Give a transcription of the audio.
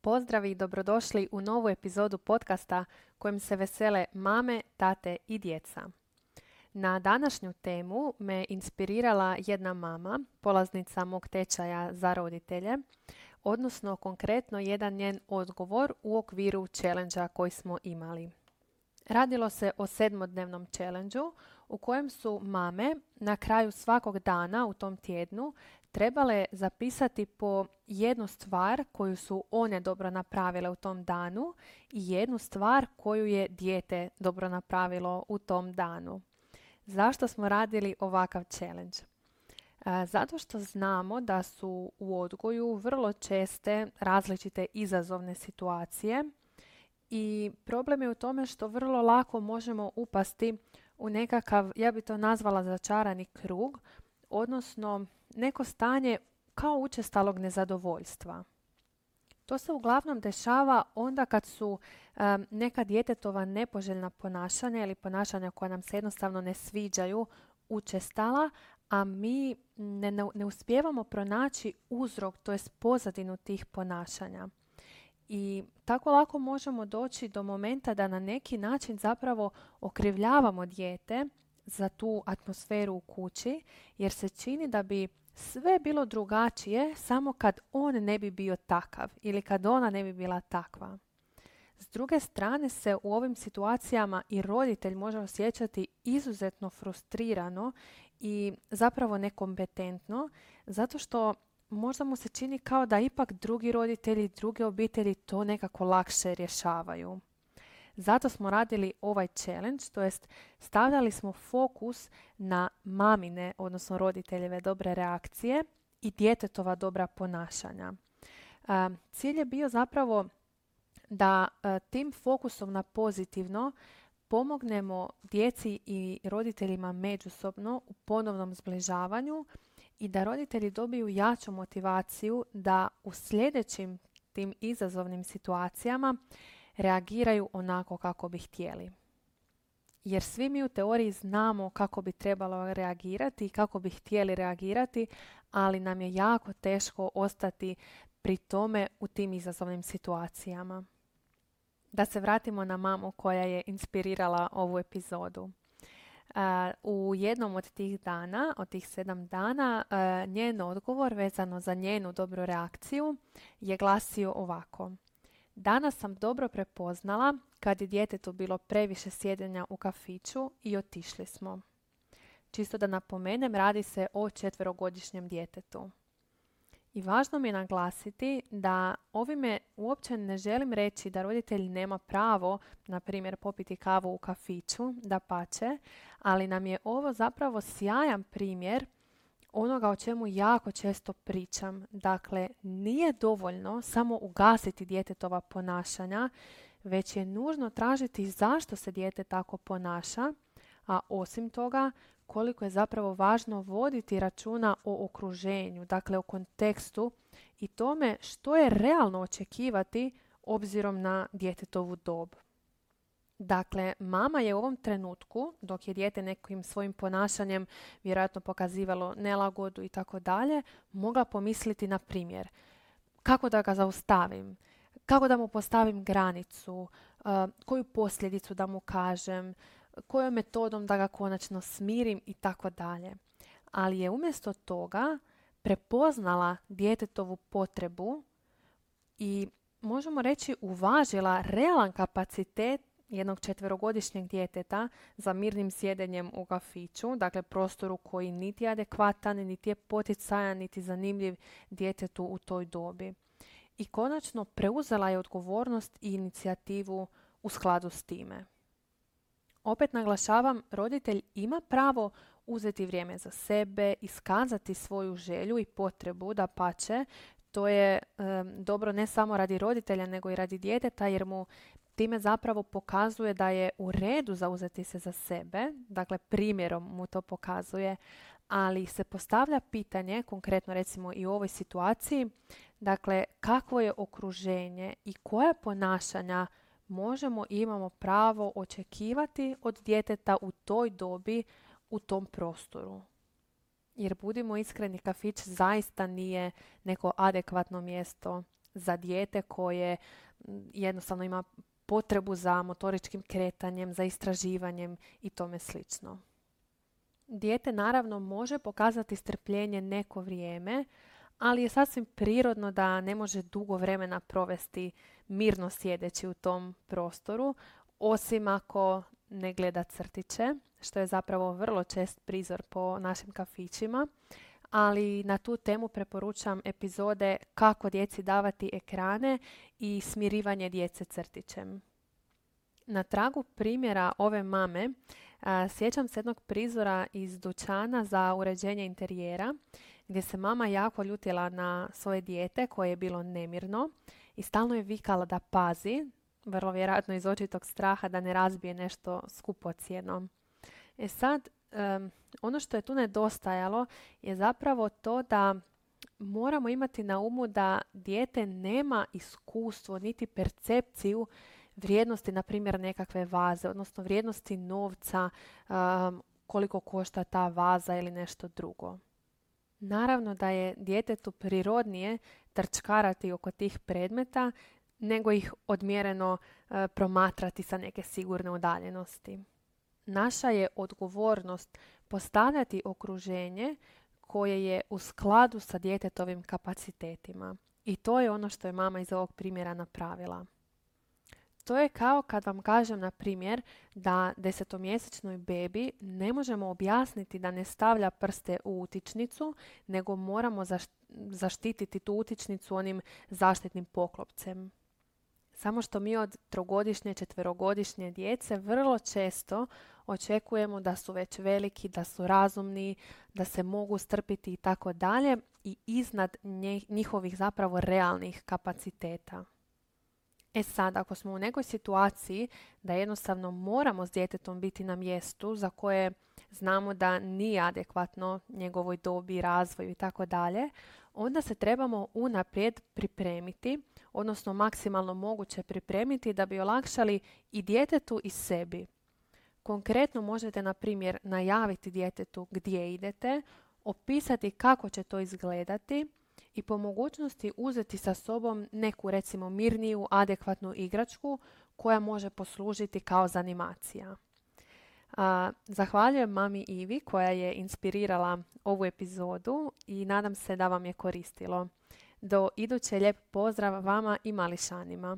Pozdrav i dobrodošli u novu epizodu podcasta kojim se vesele mame, tate i djeca. Na današnju temu me inspirirala jedna mama, polaznica mog tečaja za roditelje, odnosno konkretno jedan njen odgovor u okviru challengea koji smo imali. Radilo se o 7-dnevnom challengeu u kojem su mame na kraju svakog dana u tom tjednu trebale zapisati po jednu stvar koju su one dobro napravile u tom danu i jednu stvar koju je dijete dobro napravilo u tom danu. Zašto smo radili ovakav challenge? Zato što znamo da su u odgoju vrlo česte različite izazovne situacije i problem je u tome što vrlo lako možemo upasti u nekakav, ja bi to nazvala začarani krug, odnosno neko stanje kao učestalog nezadovoljstva. To se uglavnom dešava onda kad su neka djetetova nepoželjna ponašanja ili ponašanja koja nam se jednostavno ne sviđaju učestala, a mi ne uspijevamo pronaći uzrok, to jest pozadinu tih ponašanja. I tako lako možemo doći do momenta da na neki način zapravo okrivljavamo dijete za tu atmosferu u kući, jer se čini da bi sve bilo drugačije samo kad on ne bi bio takav ili kad ona ne bi bila takva. S druge strane se u ovim situacijama i roditelj može osjećati izuzetno frustrirano i zapravo nekompetentno, zato što možda mu se čini kao da ipak drugi roditelji, druge obitelji to nekako lakše rješavaju. Zato smo radili ovaj challenge, to jest stavljali smo fokus na mamine, odnosno roditeljeve dobre reakcije i djetetova dobra ponašanja. Cilj je bio zapravo da tim fokusom na pozitivno pomognemo djeci i roditeljima međusobno u ponovnom zbližavanju i da roditelji dobiju jaču motivaciju da u sljedećim tim izazovnim situacijama reagiraju onako kako bi htjeli. Jer svi mi u teoriji znamo kako bi trebalo reagirati i kako bi htjeli reagirati, ali nam je jako teško ostati pri tome u tim izazovnim situacijama. Da se vratimo na mamu koja je inspirirala ovu epizodu. U jednom od tih dana, od tih 7 dana, njen odgovor vezano za njenu dobru reakciju je glasio ovako. Danas sam dobro prepoznala kad je djetetu bilo previše sjedenja u kafiću i otišli smo. Čisto da napomenem, radi se o 4-godišnjem djetetu. I važno mi je naglasiti da ovime uopće ne želim reći da roditelj nema pravo, na primjer, popiti kavu u kafiću, dapače, ali nam je ovo zapravo sjajan primjer onoga o čemu jako često pričam. Dakle, nije dovoljno samo ugasiti djetetova ponašanja, već je nužno tražiti zašto se dijete tako ponaša, a osim toga koliko je zapravo važno voditi računa o okruženju, dakle o kontekstu i tome što je realno očekivati obzirom na djetetovu dob. Dakle, mama je u ovom trenutku, dok je dijete nekim svojim ponašanjem vjerojatno pokazivalo nelagodu i tako dalje, mogla pomisliti na primjer kako da ga zaustavim, kako da mu postavim granicu, koju posljedicu da mu kažem, kojom metodom da ga konačno smirim i tako dalje. Ali je umjesto toga prepoznala djetetovu potrebu i možemo reći uvažila realan kapacitet jednog 4-godišnjeg djeteta za mirnim sjedenjem u kafiću, dakle prostoru koji niti je adekvatan, niti je poticajan, niti zanimljiv djetetu u toj dobi. I konačno preuzela je odgovornost i inicijativu u skladu s time. Opet naglašavam, roditelj ima pravo uzeti vrijeme za sebe, iskazati svoju želju i potrebu, dapače, to je dobro ne samo radi roditelja nego i radi djeteta jer mu time zapravo pokazuje da je u redu zauzeti se za sebe, dakle primjerom mu to pokazuje, ali se postavlja pitanje, konkretno recimo i u ovoj situaciji, dakle kakvo je okruženje i koja ponašanja možemo i imamo pravo očekivati od djeteta u toj dobi, u tom prostoru. Jer budimo iskreni, kafić zaista nije neko adekvatno mjesto za dijete koje jednostavno ima potrebu za motoričkim kretanjem, za istraživanjem i tome slično. Dijete naravno može pokazati strpljenje neko vrijeme, ali je sasvim prirodno da ne može dugo vremena provesti mirno sjedeći u tom prostoru, osim ako ne gleda crtiće, što je zapravo vrlo čest prizor po našim kafićima, ali na tu temu preporučam epizode kako djeci davati ekrane i smirivanje djece crtićem. Na tragu primjera ove mame sjećam se jednog prizora iz dućana za uređenje interijera gdje se mama jako ljutila na svoje dijete koje je bilo nemirno i stalno je vikala da pazi, vrlo vjerojatno iz očitog straha da ne razbije nešto skupocjeno. Sad, ono što je tu nedostajalo je zapravo to da moramo imati na umu da dijete nema iskustvo niti percepciju vrijednosti, na primjer, nekakve vaze, odnosno vrijednosti novca, koliko košta ta vaza ili nešto drugo. Naravno da je djetetu prirodnije trčkarati oko tih predmeta nego ih odmjereno promatrati sa neke sigurne udaljenosti. Naša je odgovornost postavljati okruženje koje je u skladu sa djetetovim kapacitetima. I to je ono što je mama iz ovog primjera napravila. To je kao kad vam kažem, na primjer, da 10-mjesečnoj bebi ne možemo objasniti da ne stavlja prste u utičnicu, nego moramo zaštititi tu utičnicu onim zaštitnim poklopcem. Samo što mi od 3-godišnje, 4-godišnje djece vrlo često očekujemo da su već veliki, da su razumni, da se mogu strpiti i tako dalje i iznad njihovih zapravo realnih kapaciteta. Sad, ako smo u nekoj situaciji da jednostavno moramo s djetetom biti na mjestu za koje znamo da nije adekvatno njegovoj dobi, razvoju i tako dalje, onda se trebamo unaprijed pripremiti, odnosno maksimalno moguće pripremiti da bi olakšali i djetetu i sebi. Konkretno možete, na primjer, najaviti djetetu gdje idete, opisati kako će to izgledati i po mogućnosti uzeti sa sobom neku, recimo, mirniju, adekvatnu igračku koja može poslužiti kao zanimacija. Zahvaljujem mami Ivi koja je inspirirala ovu epizodu i nadam se da vam je koristilo. Do iduće, lijep pozdrav vama i mališanima.